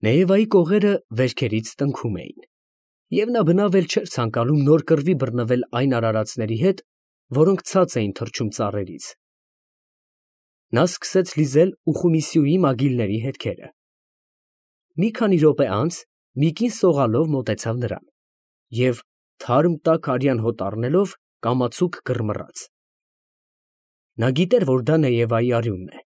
Նեևայի կողերը վերքերից տնքում էին, և նա բնավ էլ չէր ցանկանում նոր կռվի բռնվել այն արարածների հետ, որոնք ցած էին թռչում ծառերից։ Նա սկսեց լիզել Ուխումիսյուի մագիլների հետքերը։ Մի քանի րոպե անց մի կին սողալով մոտեցավ նրան և, թարմ տաք արյան հոտ առնելով, կամացուկ կռմռաց։ Նա գիտեր, որ դա Նեևայի արյունն է,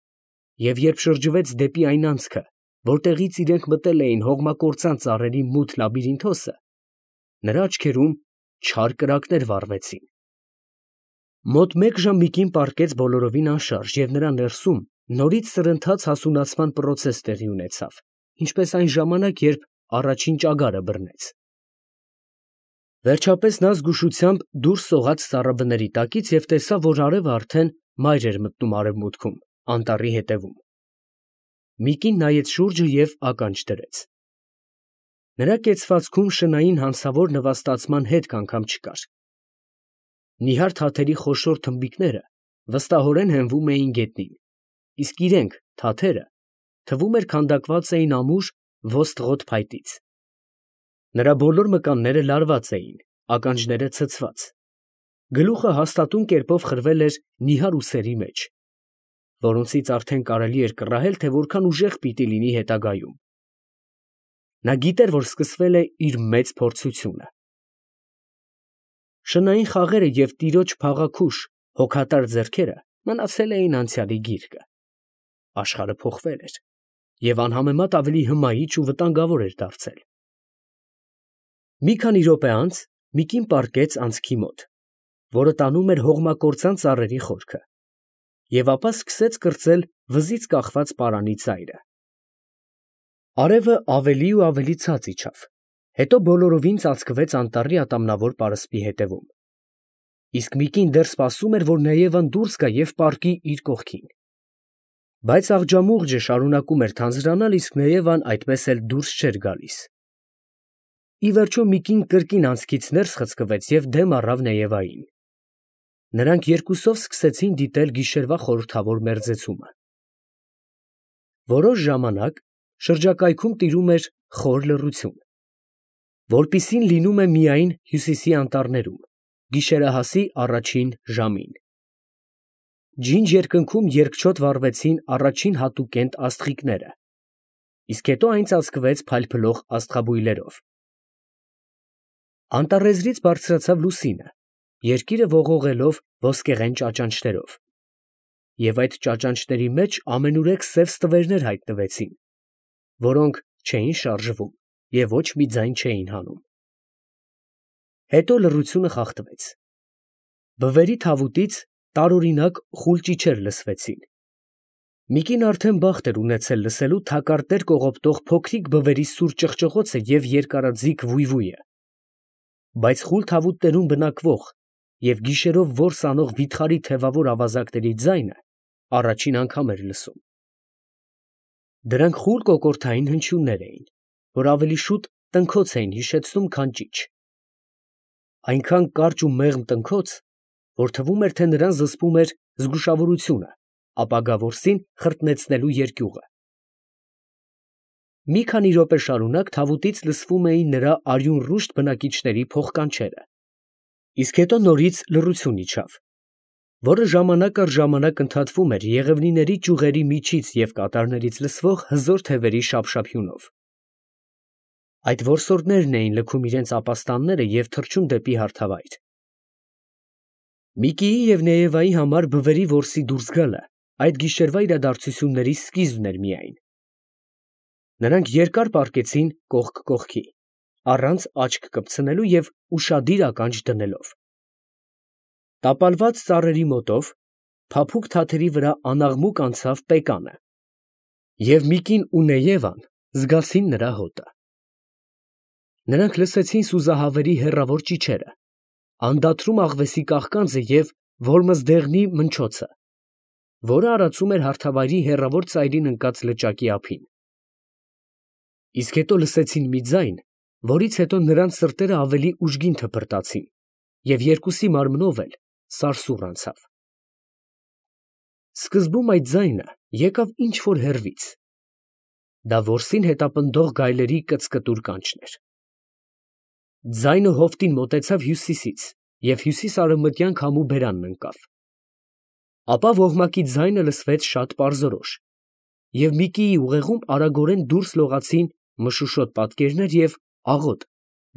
և երբ շրջվեց դեպի այն անցքը, որտեղից իրենք մտել էին հողմակործան ծառերի մութ լաբիրինթոսը, նրա աչքերում չար կրակներ վառվեցին։ Մոտ մեկ ժամ մի կին պառկեց բոլորովին անշարժ, և նրա ներսում նորից սրընթաց հասունացման պրոցես տեղի ունեցավ, ինչպես այն ժամանակ, երբ առաջին ճագարը բռնեց։ Վերջապես նա զգուշությամբ դուրս սողաց սառաբների տակից և տեսավ, որ արևը արդեն մայր էր մտնում արևմուտքում, անտառի ետևում։ Մի կին նայեց շուրջը և ականջ դրեց։ Նրա կեցվածքում շնային հանցավոր նվաստացման հետք անգամ չկար։ Նիհար թաթերի խոշոր թմբիկները վստահորեն հենվում էին գետնին, իսկ իրենք, թաթերը, թվում էր քանդակված էին ամուր ոստղոտ փայտից։ Նրա բոլոր մկանները լարված էին, ականջները ցցված, գլուխը հաստատուն կերպով խրվել էր նիհար ուսերի մեջ, որոնցից արդեն կարելի էր կռահել, թե որքան ուժեղ պիտի լինի հետագայում։ Նա գիտեր, որ սկսվել է իր մեծ փորձությունը։ Շնային խաղերը և տիրոջ փաղաքուշ, հոգատար ձեռքերը մնացել էին անցյալի գիրկը։ Աշխարհը փոխվել էր և անհամեմատ ավելի հմայիչ ու վտանգավոր էր դարձել։ Մի քանի րոպե անց մի կին պառկեց անցքի մոտ, որը տանում էր հողմակործան ծառերի խորքը, և ապա սկսեց կրծել վզից կախված պարանի ծայրը։ Արևը ավելի ու ավելի ցած իջավ, հետո բոլորովին ծածկվեց անտառի ատամնավոր պարսպի հետևում, իսկ մի կին դեռ սպասում էր, որ Նեևան դուրս գա և պառկի իր կողքին։ Բայց աղջամուղջը շարունակում էր թանձրանալ, իսկ Նեևան այդպես էլ դուրս չէր գալիս։ Ի վերջո մի կին կրկին անցքից ներս խցկվեց և դեմ առավ Նեևային։ Նրանք երկուսով սկսեցին դիտել գիշերվա խորհրդավոր մերձեցումը։ Որոշ ժամանակ շրջակայքում տիրում էր խոր լռություն, որպիսին լինում է միայն հյուսիսի անտառներում, գիշերահասի առաջին ժամին։ Ջինջ երկնքում երկչոտ վառվեցին առաջին հատուկենտ աստղիկները, իսկ հետո այն ծածկվեց փայլփլող աստղաբույլերով։ Անտառեզրից բարձրացավ լուսինը, երկիրը ողողելով ոսկեղեն ճաճանճներով, և այդ ճաճանճների մեջ ամենուրեք սև ստվերներ հայտնվեցին, որոնք չէին շարժվում և ոչ մի ձայն չէին հանում։ Հետո լռությունը խախտվեց։ Բվերի թավուտից տարօրինակ խուլ ճիչեր լսվեցին։ Մի կին արդեն բախտ էր ունեցել լսելու թակարդեր կողոպտող փոքրիկ բվերի սուր ճղճղոցը և երկարաձիգ վույվույը, բայց խուլ թավուտներում բնակվող և գիշերով որս անող վիթխարի թևավոր ավազակների ձայնը առաջին անգամ էր լսում։ Դրանք խուլ կոկորդային հնչյուններ էին, որ ավելի շուտ տնքոց էին հիշեցնում, քան ճիչ։ Այնքան կարճ ու մեղմ տնքոց, որ թվում էր, թե նրան զսպում էր զգուշավորությունը ապագա որսին խրտնեցնելու երկյուղը։ Մի քանի րոպե շարունակ թավուտից լսվում էին նրա արյունռուշտ բնակիչների փոխկանչերը, իսկ հետո նորից լռություն իջավ, որը ժամանակ առ ժամանակ ընդհատվում էր եղևնիների ճյուղերի միջից և կատարներից լսվող հզոր թևերի շափշափյունով։ Այդ որսորդներն էին լքում իրենց ապաստանները և թռչում դեպի հարթավայր։ Միկիի և Նեևայի համար բվերի որսի դուրս գալը այդ գիշերվա իրադարձությունների սկիզբն էր միայն։ Նրանք երկար պառկեցին կողք կողքի, առանց աչք կպցնելու և ուշադիր ականջ դնելով։ Տապալված ծառերի մոտով փափուկ թաթերի վրա անաղմուկ անցավ պեկանը, և Միկին ու Նեևան զգացին նրա հոտը։ Նրանք լսեցին սուզահավերի հեռավոր ճիչերը, անդադրում աղվեսի կաղկանձը և որմզդեղնի մնչոցը, որը արածում էր հարթավայրի հեռավոր ծայրին ընկած լճակի ափին։ Իսկ հետո լսեցին մի ձայն, որից հետո նրանց սրտերը ավելի ուժգին թփրտացին, և երկուսի մարմնով էլ սարսուռ անցավ։ Սկզբում այդ ձայնը եկավ ինչ֊որ հեռվից, Դա որսին հետապնդող գայլերի կծկտուր կանչն էր։ Ձայնը հովտին մոտեցավ հյուսիսից և հյուսիս֊արևմտյան քամու բերանն ընկավ։ Ապա ոհմակի ձայնը լսվեց շատ պարզորոշ, և Միկիի ուղեղում արագորեն դուրս լողացին մշուշոտ պատկերներ և աղոտ,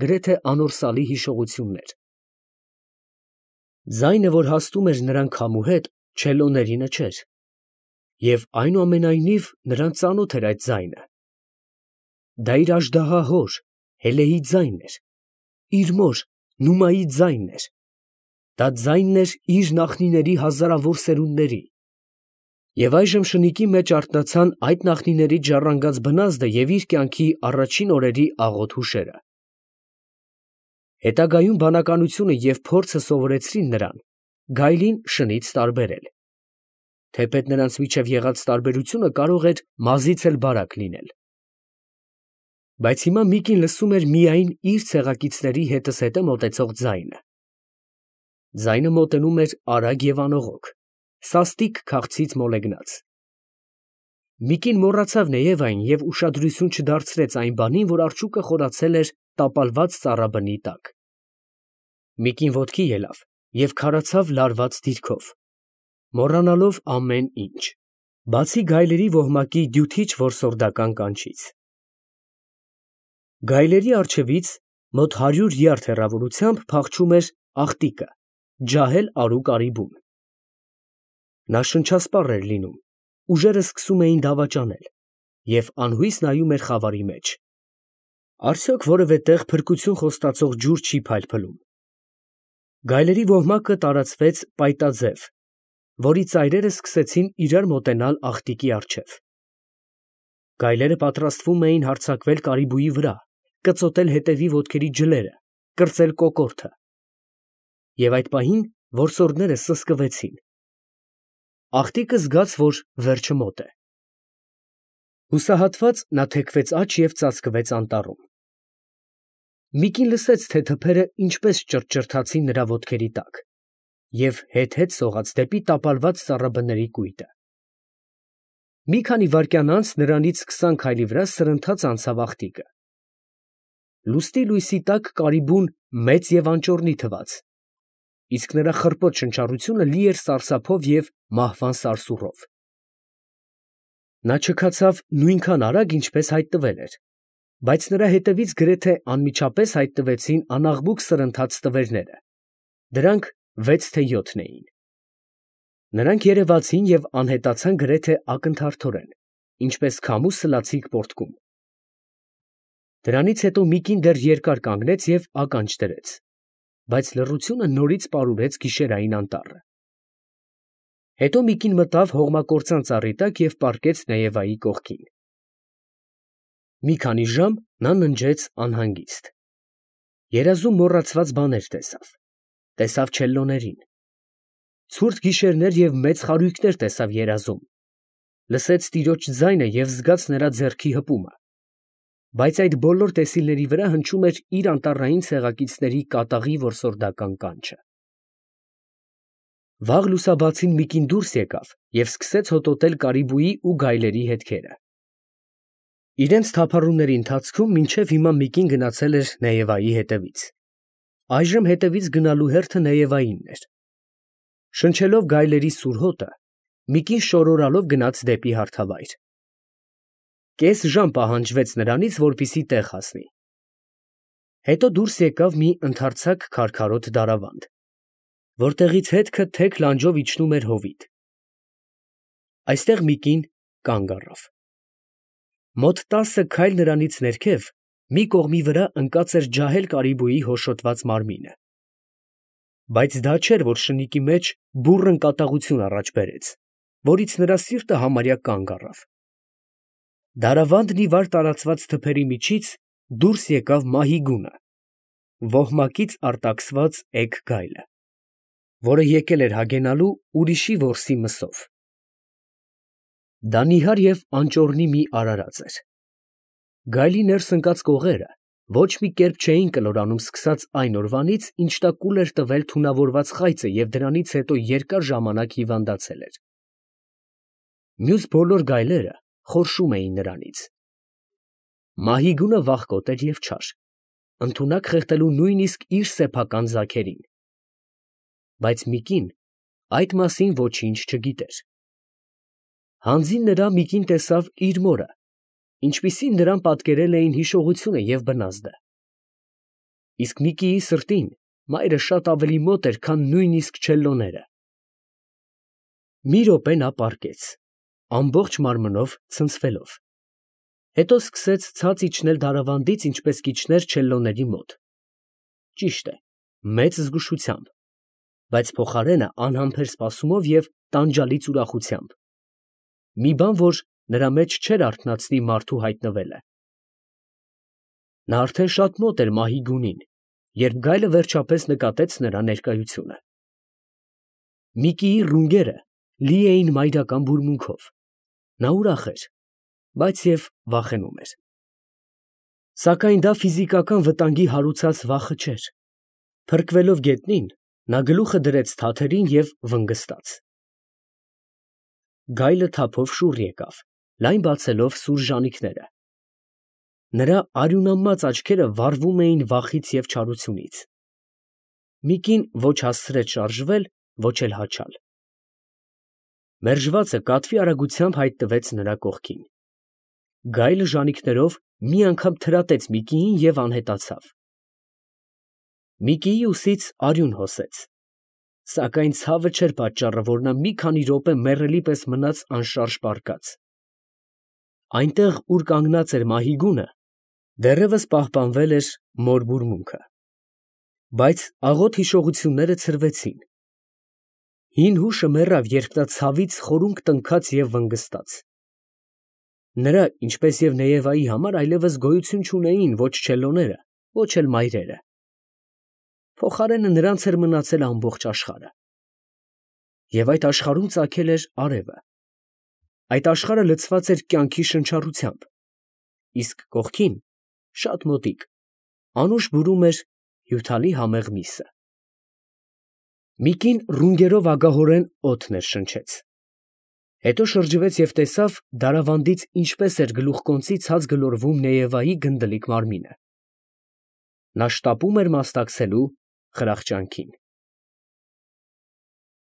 գրեթե անորսալի հիշողություններ։ Ձայնը, որ հասնում էր նրան քամու հետ, չելոներինը չէր, և այնուամենայնիվ նրան ծանոթ էր այդ ձայնը։ Դա իր աժդահահոր Հելեի ձայնն էր, իր մոր Նումայի ձայնն էր, դա ձայնն էր իր նախնիների հազարավոր սերունդների։ Եվ այժմ շնիկի մեջ արթնացան այդ նախնիներից ժառանգած բնազդը և իր կյանքի առաջին օրերի աղոտ հուշերը։ Հետագայում բանականությունը և փորձը սովորեցրին նրան գայլին շնից տարբերել, թեպետ նրանց միջև եղած տարբերությունը կարող էր մազից էլ բարակ լինել։ Բայց հիմա Միկին լսում էր միայն իր ցեղակիցների հետզհետե մոտեցող ձայնը։ Ձայնը մոտենում էր արագ և անողոք, սաստիկ քաղցից մոլեգնած։ Միկին մոռացավ նաև այն և ուշադրություն չդարձրեց այն բանին, որ արջուկը խորացել էր տապալված ծառաբնի տակ։ Միկին ոտքի ելավ և քարացավ լարված դիրքով, մոռանալով ամեն ինչ, բացի գայլերի ոհմակի դյութիչ որսորդական կանչից։ Գայլերի առջևից մոտ 100 յարդ հեռավորությամբ փախչում էր աղտիկը, ջահել արու կարիբուն։ Նա շնչասպառ էր լինում, ուժերը սկսում էին դավաճանել, և անհույս նայում էր խավարի մեջ։ Արդյոք որևէ տեղ փրկություն խոստացող ջուր չի փայլփլում։ Գայլերի ոհմակը տարածվեց պայտաձև, որի ծայրերը սկսեցին իրար մոտենալ աղտիկի առջև։ Գայլերը պատրաստվում էին հարձակվել կարիբուի վրա, կծոտել հետևի ոտքերի ջլերը, կրծել կոկորդը։ Եվ այդ պահին որսորդները սսկվեցին։ Աղտիկը զգաց, որ վերջը մոտ է։ Հուսահատված նա թեքվեց աջ և ծածկվեց անտառում։ Միկին լսեց, թե թփերը ինչպես ճռճռթացին նրա ոտքերի տակ և հետ֊հետ սողաց դեպի տապալված ծառաբների կույտը։ Մի քանի վայրկյան անց նրանից 20 քայլի վրա սրընթաց անցավ աղտիկը։ Լուսնի լույսի տակ կարիբուն մեծ և անճոռնի թվաց, իսկ նրա խռպոտ շնչառությունը լի էր սարսափով և մահվան սարսուռով։ Նա չքացավ նույնքան արագ, ինչպես հայտնվել էր, բայց նրա հետևից գրեթե անմիջապես հայտնվեցին անաղմուկ սրընթաց տվերները. դրանք 6 թե 7 էին։ Նրանք երևացին և անհետացան գրեթե ակնթարթորեն, ինչպես քամու սլացիկ պոռթկում։ Դրանից հետո Միկին դեռ երկար կանգնեց և ականջ դրեց, բայց լռությունը նորից պարուրեց գիշերային անտառը։ Հետո Միկին մտավ հողմակործան ծառի տակ և պառկեց Նաևայի կողքին։ Մի քանի ժամ նա ննջեց անհանգիստ։ Երազում մոռացված բաներ տեսավ. տեսավ չելլոներին, ցուրտ գիշերներ և մեծ խարույկներ տեսավ երազում, լսեց տիրոջ ձայնը և զգաց նրա ձեռքի հպումը, բայց այդ բոլոր տեսիլների վրա հնչում էր իր անտառային ցեղակիցների կատաղի որսորդական կանչը։ Վաղ լուսաբացին Միկին դուրս եկավ և սկսեց հոտոտել կարիբուի ու գայլերի հետքերը։ Իրենց թափառումների ընթացքում մինչև հիմա Միկին գնացել էր Նաևայի հետևից։ Այժմ հետևից գնալու հերթը Նաևայինն էր։ Շնչելով գայլերի սուր հոտը, Միկին շորորալով գնաց դեպի հարթավայր։ Կես ժամ պահանջվեց նրանից, որպեսզի տեղ հասնի։ Հետո դուրս եկավ մի ընդարձակ քարքարոտ դարավանդ, որտեղից հետքը թեք լանջով իջնում էր հովիտ։ Այստեղ Միկին կանգ առավ։ Մոտ 10 քայլ նրանից ներքև մի կողմի վրա ընկած էր ջահել կարիբուի հոշոտված մարմինը։ Բայց դա չէր, որ շնիկի մեջ բուռն կատաղություն առաջ բերեց, որից նրա սիրտը համարյա կանգ առավ։ Դարավանդն ի վար տարածված թփերի միջից դուրս եկավ Մահիգունը, ոհմակից արտաքսված էգ գայլը, որը եկել էր հագենալու ուրիշի որսի մսով։ Դա նիհար և անճոռնի մի արարած էր։ Գայլի ներս ընկած կողերը ոչ մի կերպ չէին կլորանում սկսած այն օրվանից, ինչ նա կուլ էր տվել թունավորված խայծը և դրանից հետո երկար ժամանակ հիվանդացել էր։ Մյուս բոլոր գայլերը խորշում էին նրանից, Մահիգունը վախկոտ էր և չար, ընդունակ խեղդելու նույնիսկ իր սեփական ձագերին։ Բայց Միկին այդ մասին ոչինչ չգիտեր։ Հանձին նրա Միկին տեսավ իր մորը, ինչպիսին նրան պատկերել էին հիշողությունը և բնազդը։ Իսկ Միկիի սրտին մայրը շատ ավելի մոտ էր, քան նույնիսկ չելլոները։ Մի րոպե նա պառկեց, ամբողջ մարմնով ցնցվելով, հետո սկսեց ցած իջնել դարավանդից, ինչպես կիջներ չելլոների մոտ, ճիշտ է, մեծ զգուշությամբ, բայց փոխարենը անհամբեր սպասումով և տանջալից ուրախությամբ, մի բան, որ նրա մեջ չէր արթնացնի մարդու հայտնվելը։ Նա արդեն շատ մոտ էր Մահիգունին, երբ գայլը վերջապես նկատեց նրա ներկայությունը։ Միկիի ռունգերը լի էին մայրական բուրմունքով, նա ուրախ էր, բայց և վախենում էր։ Սակայն դա ֆիզիկական վտանգի հարուցած վախը չէր։ Փրկվելով գետնին, նա գլուխը դրեց թաթերին և վնգստաց։ Գայլը թափով շուռ եկավ, լայն բացելով սուր ժանիքները։ Նրա արյունամած աչքերը վառվում էին վախից և չարությունից։ Միկին ոչ հասցրեց շարժվել, ոչ էլ հաչալ։ Մերժվածը կատվի արագությամբ հայտնվեց նրա կողքին։ Գայլը ժանիքներով մի անգամ թրատեց Միկիին և անհետացավ։ Միկիի ուսից արյուն հոսեց, սակայն ցավը չէր պատճառը, որ նա մի քանի րոպե մեռելի պես մնաց անշարժ պառկած։ Այնտեղ, ուր կանգնած էր Մահիգունը, դեռևս պահպանվել էր մոր բուրմունքը, բայց աղոտ հիշողությունները ցրվեցին։ Հին հուշը մեռավ, երբ նա ցավից խորունկ տնքաց և վնգստաց։ Նրա, ինչպես և Նեևայի համար այլևս գոյություն չունեին ոչ չելլոները, ոչ էլ մայրերը։ Փոխարենը նրանց էր մնացել ամբողջ աշխարհը։ Եվ այդ աշխարհում ծագել էր արևը։ Այդ աշխարհը լցված էր կյանքի շնչառությամբ, իսկ կողքին, շատ մոտիկ, անուշ բուրում էր հյութալի համեղ միսը։ Միկին ռունգերով ագահորեն օդ ներշնչեց։ Հետո շրջվեց և տեսավ դարավանդից ինչպես էր գլուխկոնծի ցած գլորվում Նեևայի գնդլիկ մարմինը։ Նա շտապում էր մասնակցելու խրախճանքին։